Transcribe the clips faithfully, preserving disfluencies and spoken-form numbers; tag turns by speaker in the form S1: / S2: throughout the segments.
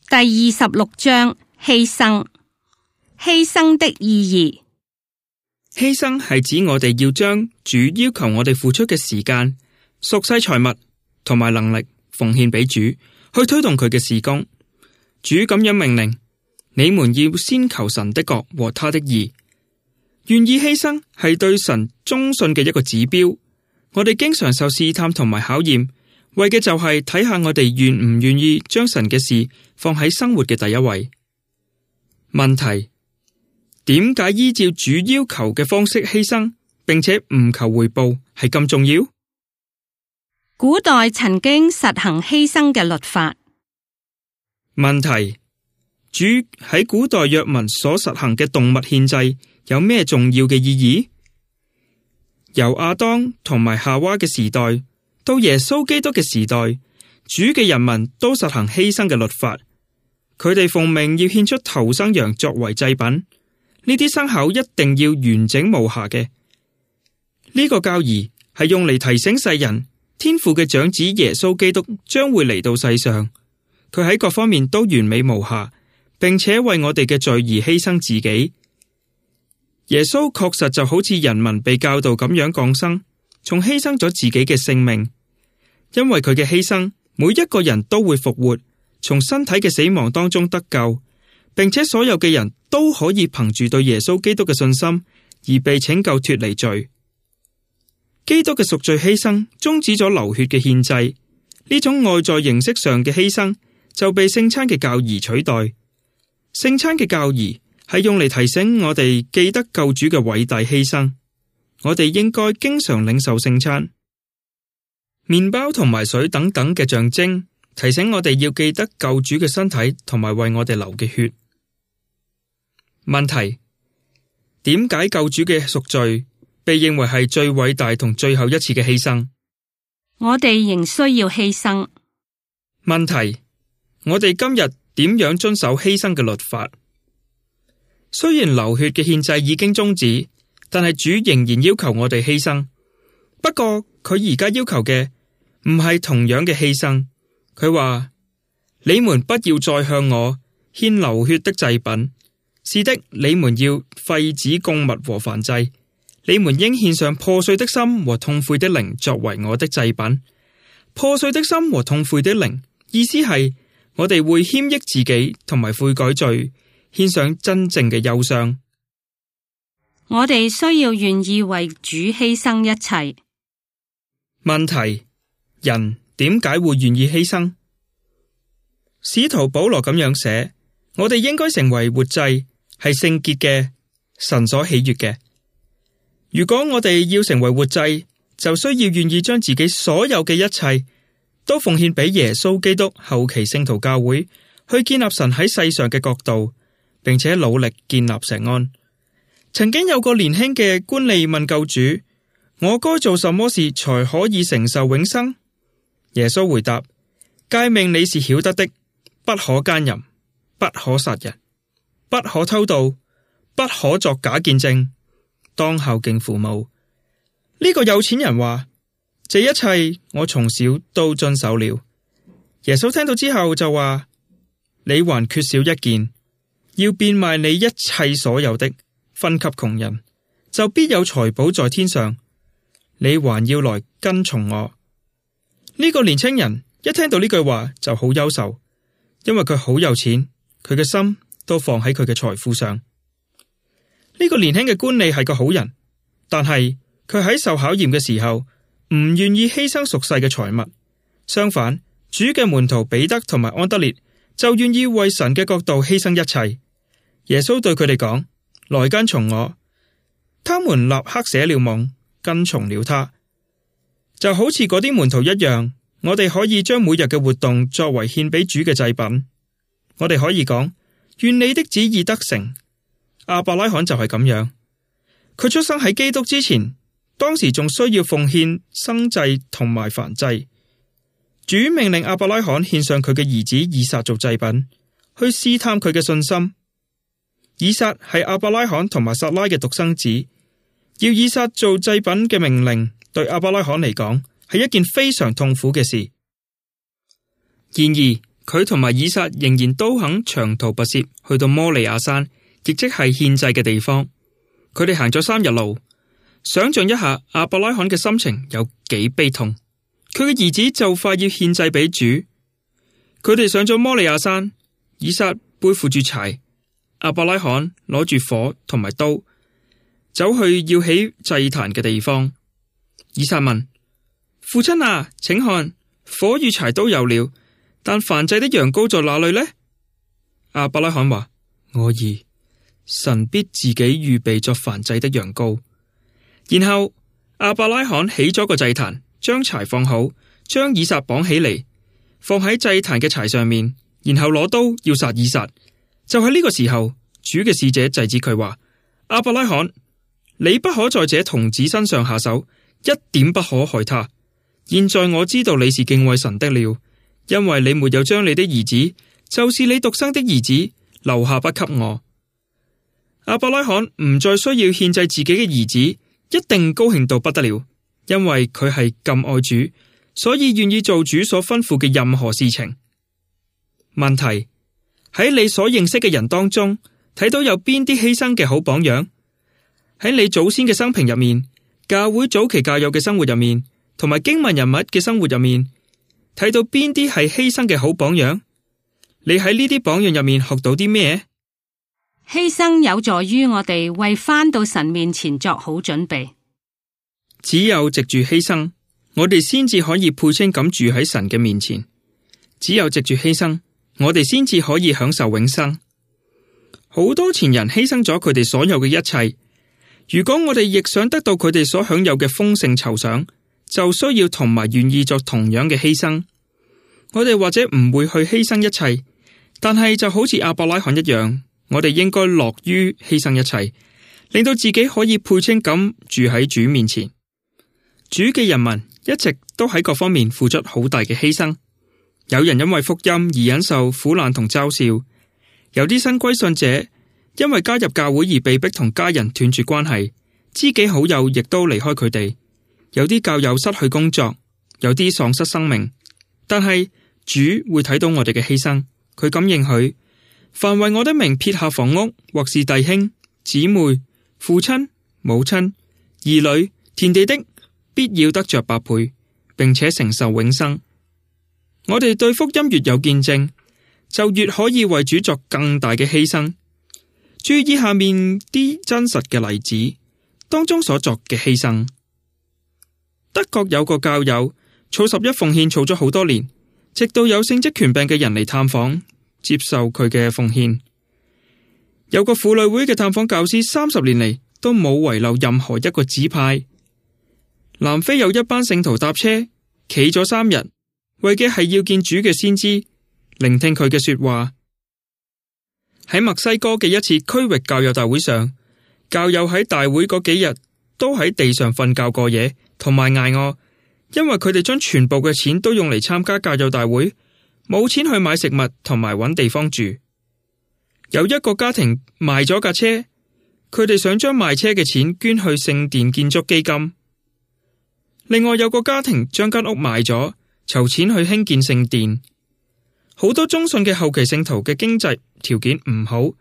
S1: 第二十六章犧牲。犧牲的意義。
S2: 犧牲係指我哋要將主要求我哋付出嘅時間、屬世財物同埋能力奉獻俾主，去推動佢嘅事工。主咁樣命令，你們要先求神的國和他的義。願意犧牲係對神忠信嘅一個指標。我哋經常受試探同埋考驗，為嘅就係睇下我哋願唔願意將神嘅事放喺生活嘅第一位。問題：點解依照主要求嘅方式犧牲，並且唔求回報係咁重要？
S1: 古代曾經實行犧牲嘅律法。
S2: 問題：主喺古代約民所實行嘅動物獻祭有咩重要嘅意義？由亞當同埋夏娃嘅時代到耶穌基督嘅時代，主嘅人民都實行犧牲嘅律法。佢哋奉命要獻出頭生羊作為祭品，呢啲牲口一定要完整無瑕嘅。呢個教義係用嚟提醒世人，天父嘅長子耶穌基督將會嚟到世上，佢喺各方面都完美無瑕，並且為我哋嘅罪而犧牲自己。耶穌確實就好似人民被教導咁樣降生，從犧牲咗自己嘅性命。因為佢嘅犧牲，每一個人都會復活，從身體嘅死亡當中得救，並且所有嘅人都可以憑住對耶穌基督嘅信心而被拯救脫離罪。基督嘅贖罪犧牲終止咗流血嘅獻祭，呢種外在形式上嘅犧牲就被聖餐嘅教義取代。聖餐嘅教義係用嚟提醒我哋記得救主嘅偉大犧牲，我哋應該經常領受聖餐。麵包同埋水等等嘅象徵，提醒我哋要記得救主嘅身體同埋為我哋流嘅血。問題：點解救主嘅贖罪被認為係最偉大同最後一次嘅犧牲？
S1: 我哋仍需要犧牲。
S2: 問題：我哋今日點樣遵守犧牲嘅律法？雖然流血嘅獻祭已經終止，但係主仍然要求我哋犧牲。不過佢而家要求嘅唔係同樣嘅犧牲。佢話：你們不要再向我獻流血的祭品，是的，你們要廢止供物和燔祭。你們應獻上破碎的心和痛悔的靈作為我的祭品。破碎的心和痛悔的靈，意思係我哋會謙抑自己同埋悔改罪，獻上真正嘅憂傷。
S1: 我哋需要願意為主犧牲一切。
S2: 問題：人點解會願意犧牲？使徒保羅咁樣寫：我哋應該成為活祭，係聖潔嘅，神所喜悅嘅。如果我哋要成為活祭，就需要願意將自己所有嘅一切都奉獻俾耶穌基督後期聖徒教會，去建立神喺世上嘅國度，並且努力建立錫安。曾經有個年輕嘅官吏問救主：我該做什麼事才可以承受永生？耶穌回答：誡命你是曉得的，不可奸淫，不可殺人，不可偷盜，不可作假見證，當孝敬父母。呢個有錢人話：這一切我從小都遵守了。耶穌聽到之後就話：你還缺少一件，要變賣你一切所有的，分給窮人，就必有財寶在天上。你還要來跟從我。呢個年青人一聽到呢句話就好憂愁，因為佢好有錢，佢嘅心都放喺佢嘅財富上。呢個年輕嘅官吏係個好人，但係佢喺受考驗嘅時候唔願意犧牲屬世嘅財物。相反，主嘅門徒彼得同埋安德烈就願意為神嘅國度犧牲一切。耶穌對佢哋講：來跟從我。他們立刻捨了網，跟從了他。就好似嗰啲門徒一樣，我哋可以將每日嘅活動作為獻俾主嘅祭品。我哋可以講：願你的旨意得成。亞伯拉罕就係咁樣，佢出生喺基督之前，當時仲需要奉獻生祭同埋燔祭。主命令亞伯拉罕獻上佢嘅兒子以撒做祭品，去試探佢嘅信心。以撒係亞伯拉罕同埋撒拉嘅獨生子，要以撒做祭品嘅命令，對亞伯拉罕嚟講係一件非常痛苦嘅事。然而佢同埋以撒仍然都肯長途跋涉去到摩利亞山，亦即係獻祭嘅地方。佢哋行咗三日路，想象一下亞伯拉罕嘅心情有幾悲痛。佢嘅兒子就快要獻祭俾主，佢哋上咗摩利亞山，以撒背負住柴，亞伯拉罕攞住火同埋刀，走去要起祭壇嘅地方。以撒問父親啊，請看，火與柴都有了，但燔祭的羊羔在哪裏呢？亞伯拉罕話：我兒，神必自己預備作燔祭的羊羔。然後亞伯拉罕起咗個祭壇，將柴放好，將以撒綁起嚟，放喺祭壇嘅柴上面，然後攞刀要殺以撒。就喺呢個時候，主嘅使者制止佢話：亞伯拉罕，你不可在這童子身上下手，一點不可害他。現在我知道你是敬畏神的了，因為你沒有將你的兒子，就是你獨生的兒子，留下不給我。亞伯拉罕唔再需要獻祭自己嘅兒子，一定高興到不得了，因為佢係咁愛主，所以願意做主所吩咐嘅任何事情。問題，喺你所認識嘅人當中，睇到有邊啲犧牲嘅好榜樣？喺你祖先嘅生平入面，教會早期教友嘅生活入面，同埋經文人物嘅生活入面，睇到邊啲係犧牲嘅好榜樣？你喺呢啲榜樣入面學到啲咩？
S1: 犧牲有助於我哋為返到神面前作好準備。
S2: 只有藉住犧牲，我哋先至可以配稱咁住喺神嘅面前。只有藉住犧牲，我哋先至可以享受永生。好多前人犧牲咗佢哋所有嘅一切，如果我哋亦想得到佢哋所享有嘅豐盛酬賞，就需要同埋願意作同樣嘅犧牲。我哋或者唔會去犧牲一切，但係就好似亞伯拉罕一樣，我哋應該樂於犧牲一切，令到自己可以配稱咁住喺主面前。主嘅人民一直都喺各方面付出好大嘅犧牲，有人因為福音而忍受苦難同嘲笑，有啲新歸信者因為加入教會而被逼同家人斷絕關係，知己好友亦都離開佢哋，有啲教友失去工作，有啲喪失生命。但係主會睇到我哋嘅犧牲，佢咁應許：凡為我的名撇下房屋，或是弟兄、姊妹、父親、母親、兒女、田地的，必要得着百倍，並且承受永生。我哋對福音越有見證，就越可以為主作更大嘅犧牲。注意下面啲真實嘅例子當中所作嘅犧牲。德國有個教友儲十一奉獻儲咗好多年，直到有聖職權柄嘅人嚟探訪，接受佢嘅奉獻。有個婦女會嘅探訪教師三十年嚟都冇遺漏任何一個指派。南非有一班聖徒搭車企咗三日，為嘅係要見主嘅先知，聆聽佢嘅說話。喺墨西哥嘅一次區域教友大會上，教友喺大會嗰幾日都喺地上瞓覺過夜，同埋挨餓，因為佢哋將全部嘅錢都用嚟參加教友大會，冇錢去買食物同埋揾地方住。有一個家庭賣咗架車，佢哋想將賣車嘅錢捐去聖殿建築基金。另外有個家庭將間屋賣咗，籌錢去興建聖殿。好多忠信嘅後期聖徒嘅經濟條件唔好，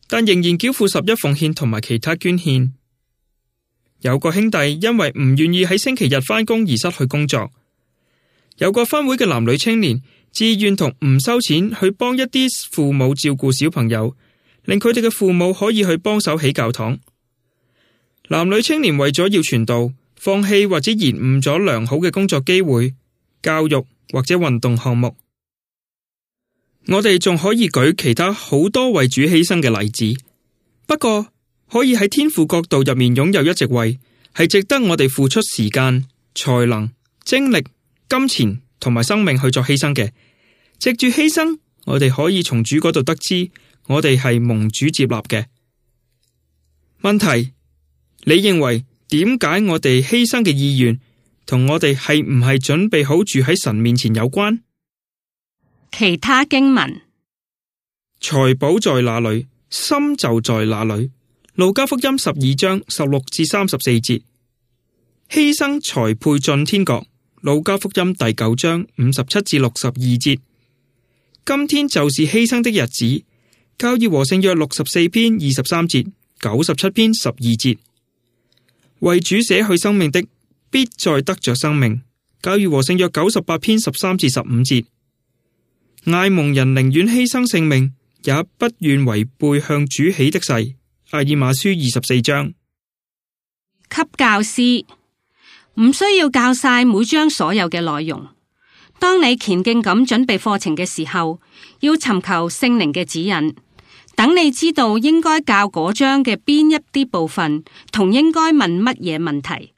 S2: 但仍然繳付十一奉獻同埋其他捐獻。有個兄弟因為唔願意喺星期日返工而失去工作。有個分會嘅男女青年自願同唔收錢去幫一啲父母照顧小朋友，令佢哋嘅父母可以去幫手起教堂。男女青年為咗要傳道，放棄或者延誤咗良好嘅工作機會、教育或者運動項目。我哋仲可以舉其他好多為主犧牲嘅例子，不過可以喺天父國度入面擁有一席位，係值得我哋付出時間、才能、精力、金錢同埋生命去做犧牲嘅。藉住犧牲，我哋可以從主嗰度得知，我哋係蒙主接納嘅。問題，你認為點解我哋犧牲嘅意願同我哋係唔係準備好住喺神面前有關？
S1: 其他經文，
S2: 財寶在哪裏，心就在哪裏。路加福音十二章十六至三十四節，犧牲才配進天國。路加福音第九章五十七至六十二節，今天就是犧牲的日子。教義和聖約六十四篇二十三節，九十七篇十二節。為主捨去生命的，必再得着生命。教義和聖約九十八篇十三至十五節。愛蒙人寧願犧牲性命，也不願違背向主起的誓。阿爾馬書二十四章。
S1: 給教師，唔需要教晒每章所有嘅內容。當你虔敬咁準備課程嘅時候，要尋求聖靈嘅指引，等你知道應該教嗰章嘅邊一啲部分，同應該問乜嘢問題。